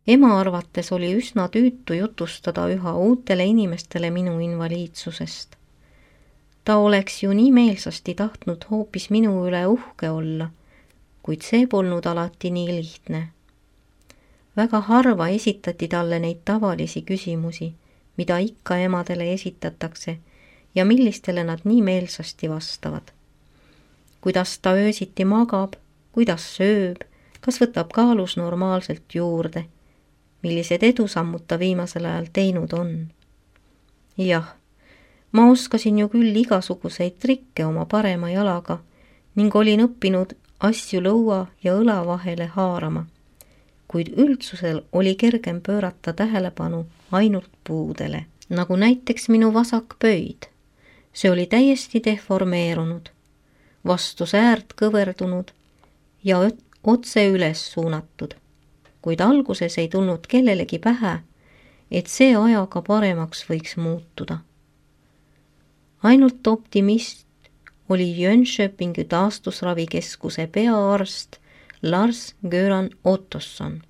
Ema arvates oli üsna tüütu jutustada üha uutele inimestele minu invaliidsusest. Ta oleks ju nii meelsasti tahtnud hoopis minu üle uhke olla, kuid see polnud alati nii lihtne. Väga harva esitati talle neid tavalisi küsimusi, mida ikka emadele esitatakse ja millistele nad nii meelsasti vastavad. Kuidas ta öösiti magab, kuidas sööb, kas võtab kaalus normaalselt juurde, millised edusammud ta viimasel ajal teinud on. Jah, ma oskasin ju küll igasuguseid trikke oma parema jalaga ning olin õppinud asju lõua ja õla vahele haarama, kuid üldsusel oli kergem pöörata tähelepanu ainult puudele, nagu näiteks minu vasak pöid. See oli täiesti deformeerunud, vastu säärt kõverdunud ja otse üles suunatud. Kuid alguses ei tulnud kellelegi pähe, et see ajaga paremaks võiks muutuda. Ainult optimist oli Jönköpingi taastusravikeskuse peaarst Lars-Göran Ottosson.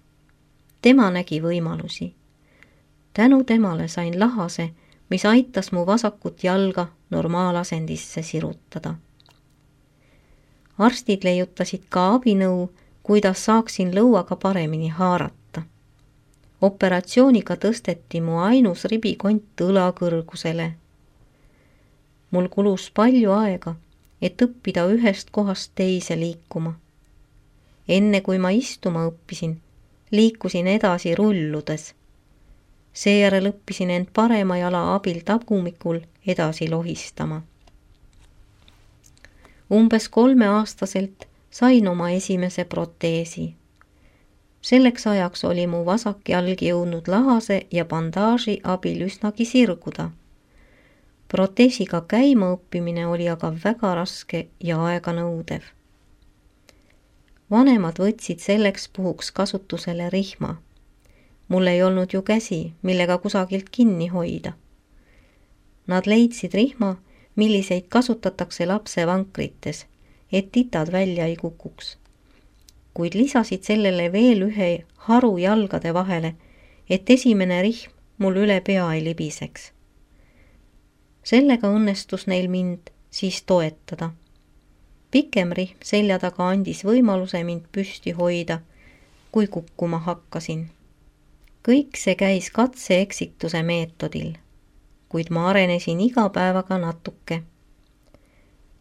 Tema nägi võimalusi. Tänu temale sain lahase, mis aitas mu vasakut jalga normaalasendisse sirutada. Arstid leiutasid ka abinõu, kuidas saaksin lõuaga paremini haarata. Operatsiooniga tõsteti mu ainus ribikont õla kõrgusele. Mul kulus palju aega, et õppida ühest kohast teise liikuma. Enne kui ma istuma õppisin, liikusin edasi rulludes. Seejärel õppisin end parema jala abil tagumikul edasi lohistama. Umbes 3-aastaselt sain oma esimese proteesi. Selleks ajaks oli mu vasak jalg jõudnud lahase ja bandaaži abil üsnagi sirguda. Proteesiga käima õppimine oli aga väga raske ja aeganõudev. Vanemad võtsid selleks puhuks kasutusele rihma. Mul ei olnud ju käsi, millega kusagilt kinni hoida. Nad leidsid rihma, milliseid kasutatakse lapse vankrites, et titad välja ei kukuks. Kuid lisasid sellele veel ühe haru jalgade vahele, et esimene rihm mul üle pea ei libiseks. Sellega õnnestus neil mind siis toetada. Pikem rihm selja taga andis võimaluse mind püsti hoida, kui kukkuma hakkasin. Kõik see käis katse-eksituse meetodil, kuid ma arenesin iga päevaga natuke.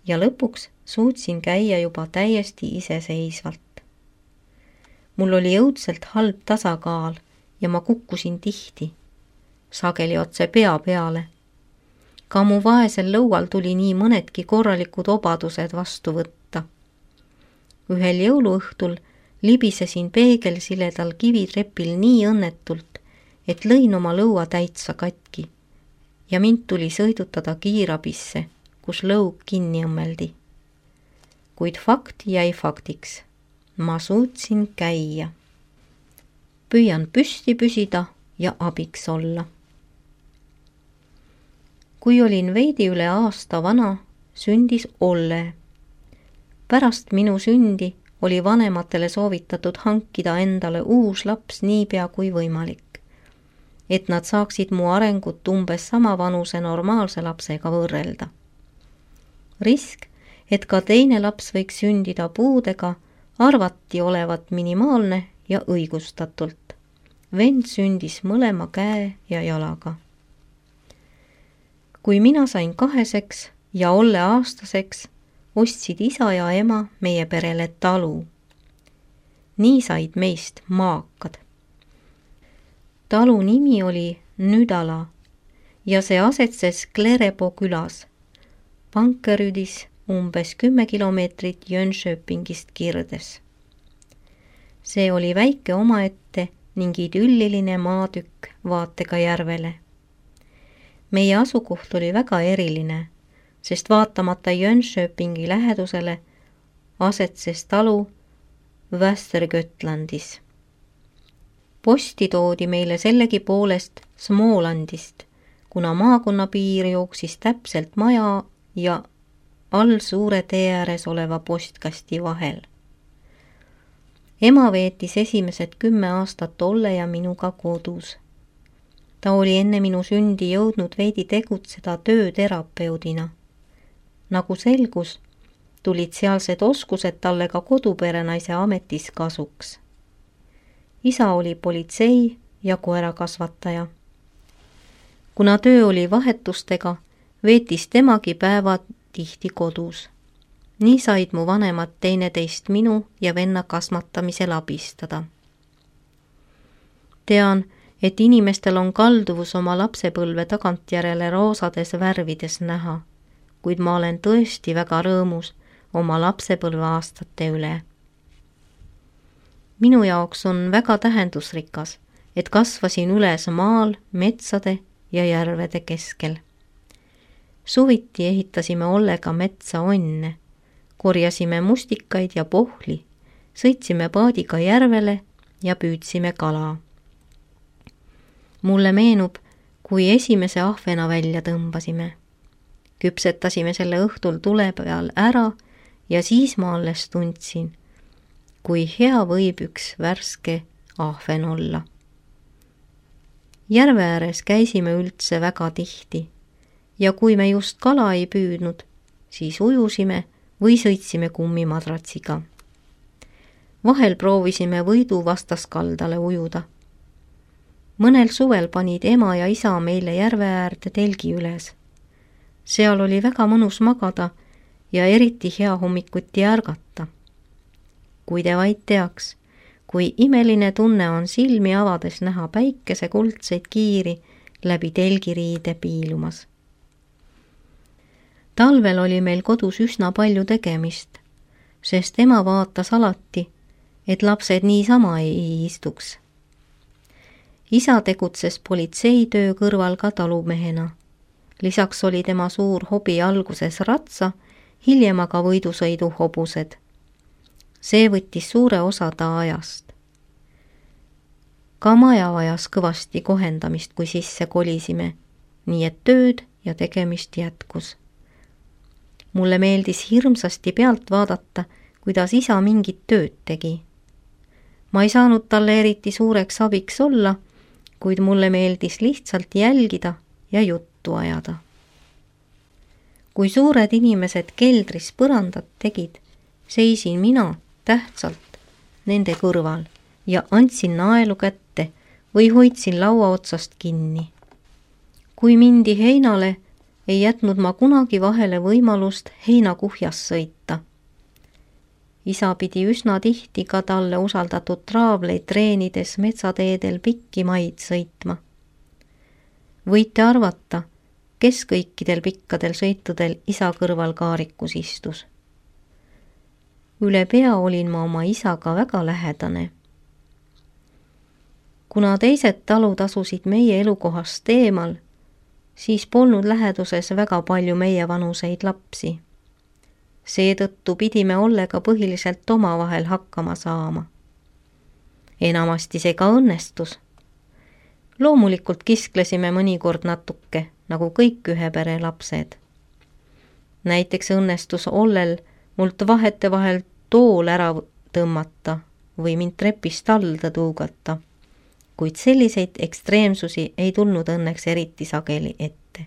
Ja lõpuks suutsin käia juba täiesti iseseisvalt. Mul oli õudselt halb tasakaal ja ma kukkusin tihti, sageli otse pea peale. Ka mu vaesel lõual tuli nii mõnedki korralikud obadused vastu võtta. Ühel jõuluõhtul libisesin peegelsiledal kivitrepil nii õnnetult, et lõin oma lõua täitsa katki ja mind tuli sõidutada kiirabisse, kus lõug kinni õmmeldi. Kuid fakt jäi faktiks. Ma suutsin käia. Püüan püsti püsida ja abiks olla. Kui olin veidi üle aasta vana, sündis Olle. Pärast minu sündi oli vanematele soovitatud hankida endale uus laps niipea kui võimalik, et nad saaksid mu arengut umbes sama vanuse normaalse lapsega võrrelda. Risk, et ka teine laps võiks sündida puudega, arvati olevat minimaalne ja õigustatult. Vend sündis mõlema käe ja jalaga. Kui mina sain 2 ja Olle aastaseks, ostsid isa ja ema meie perele talu. Nii said meist maakad. Talu nimi oli Nüdala ja see asetses Klerepo külas, Pankerüdis umbes 10 kilomeetrit Jönköpingist kirdes. See oli väike omaette ning idülliline maatükk vaatega järvele. Meie asukoht oli väga eriline, sest vaatamata Jönköpingi lähedusele asetses talu Västergötlandis. Posti toodi meile sellegi poolest Smålandist, kuna maakonna piir jooksis täpselt maja ja all suure tee ääres oleva postkasti vahel. Ema veetis esimesed 10 aastat Olle ja minuga kodus. Ta oli enne minu sündi jõudnud veidi tegutseda tööterapeudina. Nagu selgus, tulid sealsed oskused talle ka koduperenaise ametis kasuks. Isa oli politsei ja koerakasvataja. Kuna töö oli vahetustega, veetis temagi päevad tihti kodus. Nii said mu vanemad teineteist minu ja venna kasvatamisel abistada. Tean, et inimestel on kalduvus oma lapsepõlve tagantjärele roosades värvides näha, kuid ma olen tõesti väga rõõmus oma lapsepõlve aastate üle. Minu jaoks on väga tähendusrikas, et kasvasin üles maal, metsade ja järvede keskel. Suviti ehitasime Ollega metsa onne, korjasime mustikaid ja pohli, sõitsime paadiga järvele ja püüdsime kala. Mulle meenub, kui esimese ahvena välja tõmbasime. Küpsetasime selle õhtul tule peal ära ja siis ma alles tundsin, kui hea võib üks värske ahven olla. Järve ääres käisime üldse väga tihti ja kui me just kala ei püüdnud, siis ujusime või sõitsime kummimadratsiga. Vahel proovisime Võidu vastaskaldale ujuda. Mõnel suvel panid ema ja isa meile järve äärde telgi üles. Seal oli väga mõnus magada ja eriti hea hommikuti ärgata. Kui te vaid teaks, kui imeline tunne on silmi avades näha päikese kuldseid kiiri läbi telgiriide piilumas. Talvel oli meil kodus üsna palju tegemist, sest ema vaatas alati, et lapsed niisama ei istuks. Isa tegutses politseitöö kõrval ka talumehena. Lisaks oli tema suur hobi alguses ratsa, hiljem aga võidusõidu hobused. See võttis suure osa ta ajast. Ka maja vajas kõvasti kohendamist, kui sisse kolisime, nii et tööd ja tegemist jätkus. Mulle meeldis hirmsasti pealt vaadata, kuidas isa mingit tööd tegi. Ma ei saanud talle eriti suureks abiks olla, kuid mulle meeldis lihtsalt jälgida ja juttu ajada. Kui suured inimesed keldris põrandat tegid, seisin mina tähtsalt nende kõrval ja andsin naelu kätte või hoidsin laua otsast kinni. Kui mindi heinale, ei jätnud ma kunagi vahele võimalust heinakuhjas sõita. Isa pidi üsna tihti ka talle usaldatud traavleid treenides metsateedel pikki maid sõitma. Võite arvata, kes kõikidel pikkadel sõitudel isa kõrval kaarikus istus. Üle pea olin ma oma isaga väga lähedane. Kuna teised talud asusid meie elukohast eemal, siis polnud läheduses väga palju meie vanuseid lapsi. Seetõttu pidime Ollega põhiliselt omavahel hakkama saama. Enamasti see ka õnnestus. Loomulikult kisklesime mõnikord natuke, nagu kõik ühe pere lapsed. Näiteks õnnestus Ollel mult vahetevahel tool ära tõmmata või mind trepist alda tuugata, kuid selliseid ekstreemsusi ei tulnud õnneks eriti sageli ette.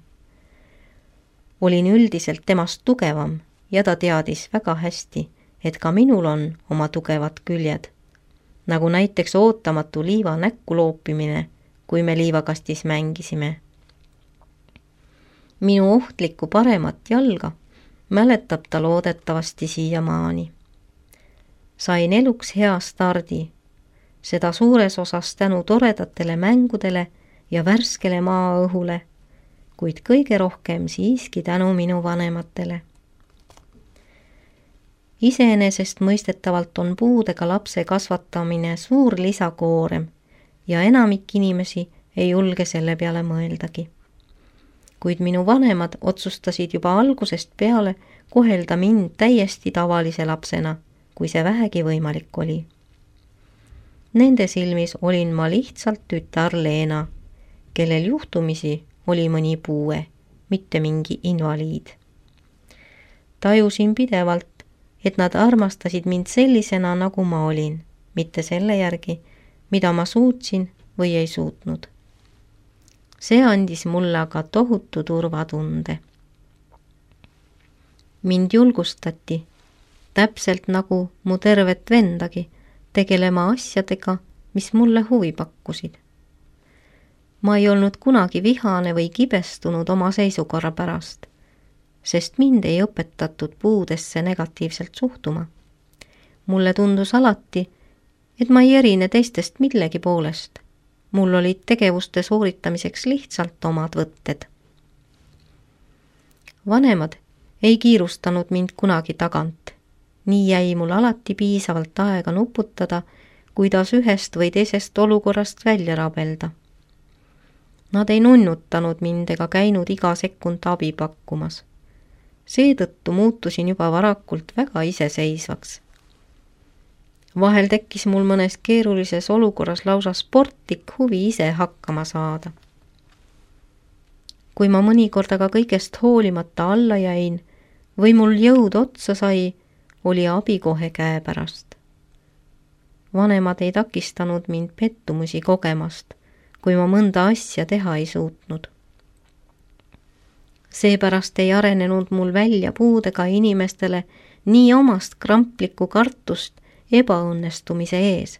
Olin üldiselt temast tugevam ja ta teadis väga hästi, et ka minul on oma tugevad küljed, nagu näiteks ootamatu liiva näkku loopimine, kui me liivakastis mängisime. Minu ohtlikku paremat jalga mäletab ta loodetavasti siiamaani. Sain eluks hea stardi, seda suures osas tänu toredatele mängudele ja värskele maaõhule, kuid kõige rohkem siiski tänu minu vanematele. Iseenesest mõistetavalt on puudega lapse kasvatamine suur lisakoorem ja enamik inimesi ei julge selle peale mõeldagi. Kuid minu vanemad otsustasid juba algusest peale kohelda mind täiesti tavalise lapsena, kui see vähegi võimalik oli. Nende silmis olin ma lihtsalt tütar Leena, kellel juhtumisi oli mõni puue, mitte mingi invaliid. Tajusin pidevalt, et nad armastasid mind sellisena, nagu ma olin, mitte selle järgi, mida ma suutsin või ei suutnud. See andis mulle aga tohutu turvatunde. Mind julgustati, täpselt nagu mu tervet vendagi, tegelema asjadega, mis mulle huvi pakkusid. Ma ei olnud kunagi vihane või kibestunud oma seisukorra pärast, sest mind ei õpetatud puudesse negatiivselt suhtuma. Mulle tundus alati, et ma ei erine teistest millegi poolest. Mul olid tegevuste sooritamiseks lihtsalt omad võtted. Vanemad ei kiirustanud mind kunagi tagant. Nii jäi mul alati piisavalt aega nuputada, kuidas ühest või teisest olukorrast välja rabelda. Nad ei nunnutanud mind ega käinud iga sekund abi pakkumas. Seetõttu muutusin juba varakult väga iseseisvaks. Vahel tekkis mul mõnes keerulises olukorras lausa sportlik huvi ise hakkama saada. Kui ma mõnikord aga kõigest hoolimata alla jäin või mul jõud otsa sai, oli abi kohe käepärast. Vanemad ei takistanud mind pettumusi kogemast, kui ma mõnda asja teha ei suutnud. Seepärast ei arenenud mul välja puudega inimestele nii omast kramplikku kartust ebaõnnestumise ees.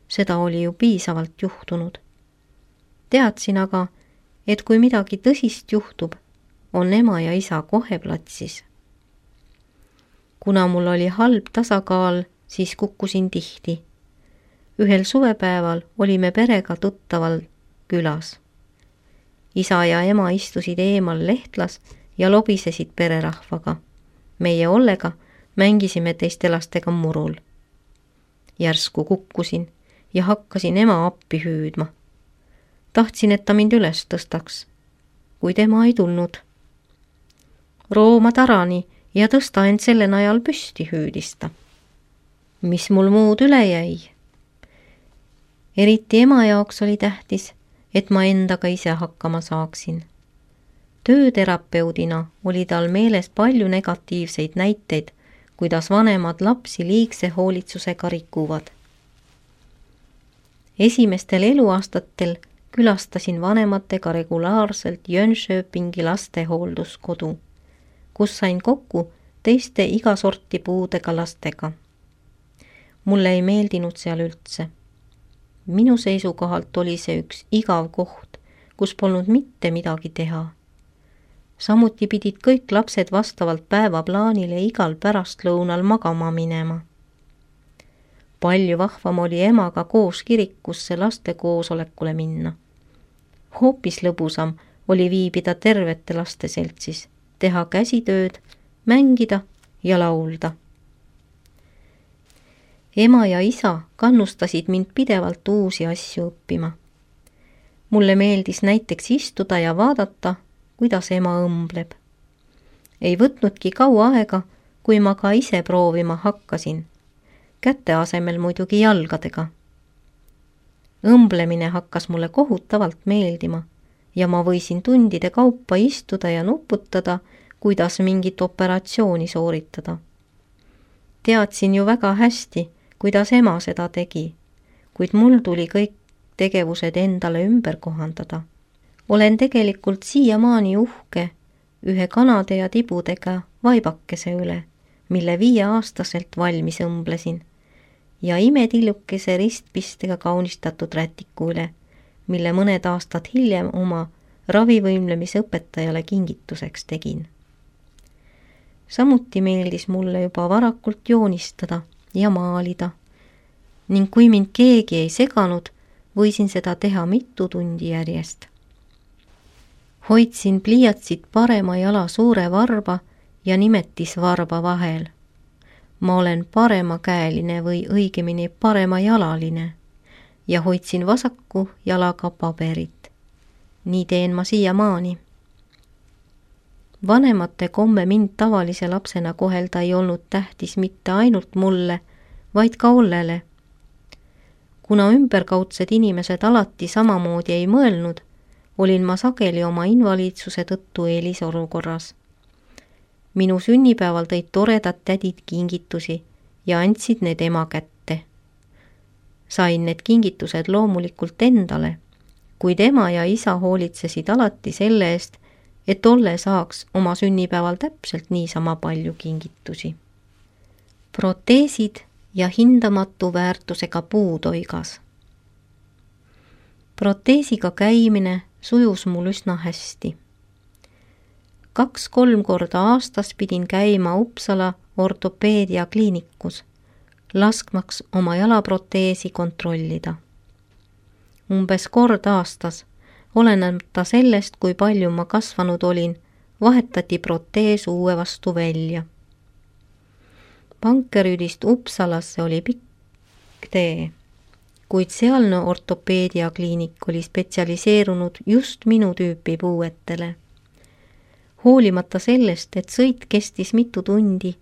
Seda oli ju piisavalt juhtunud. Teadsin aga, et kui midagi tõsist juhtub, on ema ja isa kohe platsis. Kuna mul oli halb tasakaal, siis kukkusin tihti. Ühel suvepäeval olime perega tuttaval külas. Isa ja ema istusid eemal lehtlas ja lobisesid pererahvaga. Meie Ollega mängisime teiste lastega murul. Järsku kukkusin ja hakkasin ema appi hüüdma. Tahtsin, et ta mind üles tõstaks, kuid ema ei tulnud. Rooma tarani ja tõsta end selle najal püsti, hüüdis ta. Mis mul muud üle jäi? Eriti ema jaoks oli tähtis, et ma endaga ise hakkama saaksin. Tööterapeudina oli tal meeles palju negatiivseid näiteid, kuidas vanemad lapsi liigse hoolitsusega rikuvad. Esimestel eluaastatel külastasin vanematega regulaarselt Jönköpingi lastehoolduskodu, kus sain kokku teiste igasorti puudega lastega. Mulle ei meeldinud seal üldse. Minu seisukohalt oli see üks igav koht, kus polnud mitte midagi teha. Samuti pidid kõik lapsed vastavalt päevaplaanile igal pärastlõunal magama minema. Palju vahvam oli emaga koos kirikusse laste koosolekule minna. Hoopis lõbusam oli viibida tervete laste seltsis, teha käsitööd, mängida ja laulda. Ema ja isa kannustasid mind pidevalt uusi asju õppima. Mulle meeldis näiteks istuda ja vaadata, kuidas ema õmbleb. Ei võtnudki kaua aega, kui ma ka ise proovima hakkasin. Käte asemel muidugi jalgadega. Õmblemine hakkas mulle kohutavalt meeldima ja ma võisin tundide kaupa istuda ja nuputada, kuidas mingit operatsiooni sooritada. Teadsin ju väga hästi, kuidas ema seda tegi, kuid mul tuli kõik tegevused endale ümber kohandada. Olen tegelikult siiamaani uhke ühe kanade ja tibudega vaibakese üle, mille 5-aastaselt valmis õmblesin, ja imetillukese ristpistega kaunistatud rätiku üle, mille mõned aastad hiljem oma ravivõimlemise õpetajale kingituseks tegin. Samuti meeldis mulle juba varakult joonistada ja maalida, ning kui mind keegi ei seganud, võisin seda teha mitu tundi järjest. Hoidsin pliiatsit parema jala suure varba ja nimetisvarba vahel. Ma olen paremakäeline või õigemini paremajalaline ja hoidsin vasaku jalaga paberit. Nii teen ma siiamaani. Vanemate komme mind tavalise lapsena kohelda ei olnud tähtis mitte ainult mulle, vaid ka Ollele. Kuna ümberkaudsed inimesed alati samamoodi ei mõelnud, olin ma sageli oma invaliidsuse tõttu eelisolukorras. Minu sünnipäeval tõid toredad tädid kingitusi ja andsid need ema kätte. Sain need kingitused loomulikult endale, kuid ema ja isa hoolitsesid alati selle eest, et Olle saaks oma sünnipäeval täpselt niisama palju kingitusi. Proteesid ja hindamatu väärtusega puutoigas. Proteesiga käimine sujus mul üsna hästi. 2-3 korda aastas pidin käima Uppsala ortopeediakliinikus, laskmaks oma jalaproteesi kontrollida. Umbes kord aastas, olenemata sellest, kui palju ma kasvanud olin, vahetati protees uue vastu välja. Pankerüüdist Uppsalasse oli pikk tee, kuid sealne ortopeediakliinik oli spetsialiseerunud just minu tüüpi puuetele. Hoolimata sellest, et sõit kestis mitu tundi,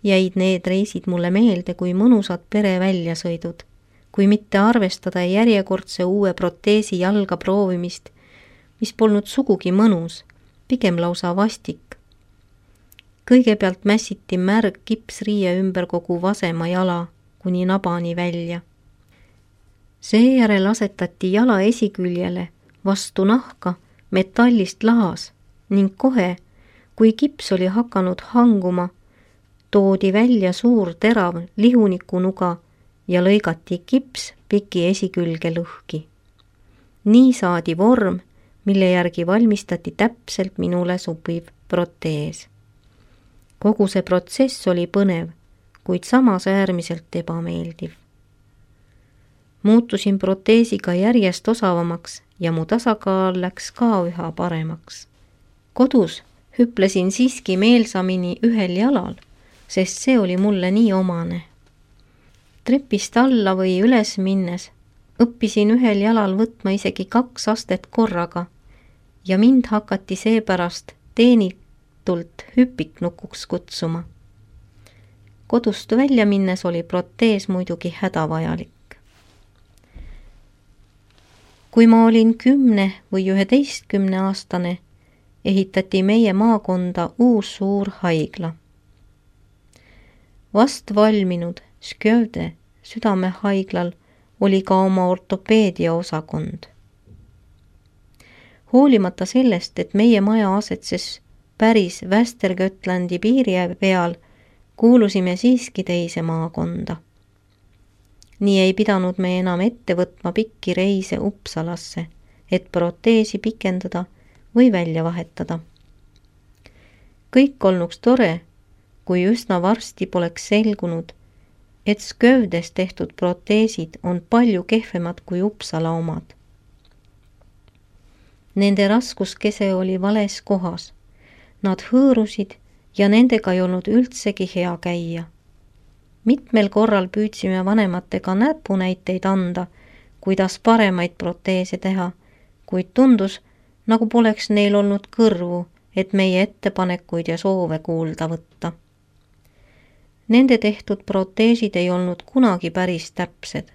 jäid need reisid mulle meelde kui mõnusad pereväljasõidud, kui mitte arvestada järjekordse uue proteesi jalga proovimist, mis polnud sugugi mõnus, pigem lausa vastik. Kõigepealt mässiti märg kipsriie ümber kogu vasema jala kuni nabani välja. Seejärel asetati jala esiküljele vastu nahka metallist lahas ning kohe, kui kips oli hakanud hanguma, toodi välja suur terav lihunikunuga ja lõigati kips piki esikülge lõhki. Nii saadi vorm, mille järgi valmistati täpselt minule sobiv protees. Kogu see protsess oli põnev, kuid samas äärmiselt ebameeldiv. Muutusin proteesiga järjest osavamaks ja mu tasakaal läks ka üha paremaks. Kodus hüplesin siiski meelsamini ühel jalal, sest see oli mulle nii omane. Trepist alla või üles minnes õppisin ühel jalal võtma isegi 2 astet korraga ja mind hakati seepärast teenitult hüpiknukuks kutsuma. Kodust välja minnes oli protees muidugi hädavajalik. Kui ma olin 10 või 11 aastane, ehitati meie maakonda uus suur haigla. Vast valminud Skövde südamehaiglal oli ka oma ortopeedia osakond. Hoolimata sellest, et meie maja asetses päris Västergötlandi piiri peal, kuulusime siiski teise maakonda. Nii ei pidanud me enam ette võtma pikki reise Uppsalasse, et proteesi pikendada või välja vahetada. Kõik olnuks tore, kui üsna varsti poleks selgunud, et Skövdes tehtud proteesid on palju kehvemad kui Uppsala omad. Nende raskuskese oli vales kohas. Nad hõõrusid ja nendega ei olnud üldsegi hea käia. Mitmel korral püüdsime vanematega näpunäiteid anda, kuidas paremaid proteese teha, kuid tundus, nagu poleks neil olnud kõrvu, et meie ettepanekuid ja soove kuulda võtta. Nende tehtud proteesid ei olnud kunagi päris täpsed.